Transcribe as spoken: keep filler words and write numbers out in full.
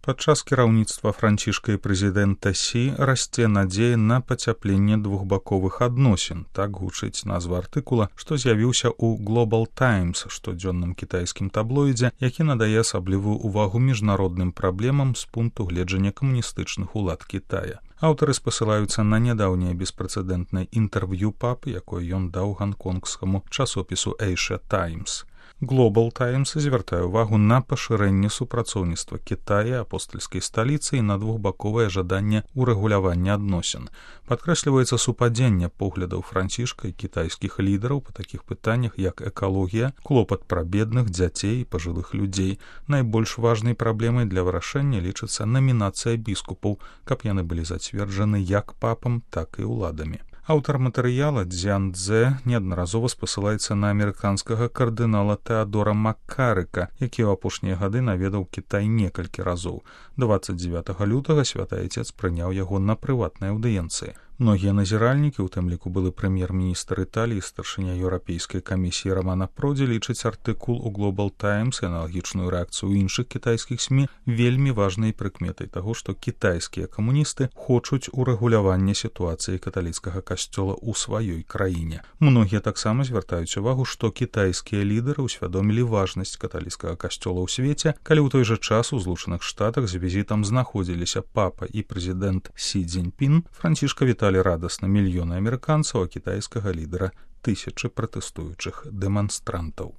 Падчас кіраўніцтва Францішка і прэзідэнта Сі расце надзея на пацяпленне двухбаковых адносін. Так гучыць назва артыкула, што з'явіўся ў Global Times, штодзённым кітайскім таблоідзе, які надае асаблівую ўвагу міжнародным праблемам з пункту гледжання камуністычных улад Кітая. Аўтары спасылаюцца на нядаўняе беспрэцэдэнтнае інтэрв'ю папы, якое ён даў ганконгскаму часопісу Asia Times. Global Times звяртае ўвагу на пашырэнне супрацоўніцтва Кітая, апостальскай сталіцы і на двухбаковае жаданне урэгулявання адносін. Падкрэсліваецца супадзенне поглядаў Францішка і кітайскіх лідараў па такіх пытаннях, як экалогія, клопат пра бедных, дзяцей і пажылых людзей. Найбольш важнай праблемай для вырашэння лічыцца намінацыя біскупаў, каб яны былі зацверджаны як папам, так і ўладамі. Аўтар матэрыяла Дзян Цзэ неаднаразова спасылаецца на амерыканскага кардынала Тэадора Маккарыка, які ў апошнія гады наведаў Кітай некалькі разоў. дваццаць дзевятага лютага святы айцец прыняў яго на прыватнай аўдыенцыі. Многія назіральнікі, у тым ліку былы прэм'ер-міністр Італіі, старшыня Еўрапейскай камісіі Рамана Продзі, лічаць артыкул у Global Times і аналагічную рэакцыю іншых кітайскіх СМІ вельмі важнай прыкметай таго, што кітайскія камуністы хочуць урэгулявання сітуацыі каталіцкага касцёла ў сваёй краіне. Многія таксама звяртаюць увагу, што кітайскія лідары ўсвядомілі важнасць каталіцкага касцёла ў свеце, калі ў той жа час у Злучаных Штатах з візітам знаходзіліся папа і прэзідэнт Сі Цзіньпін, Францішка віталі радасна мільёны амерыканцаў, а кітайскага лідара тысячы пратэстуючых дэманстрантаў.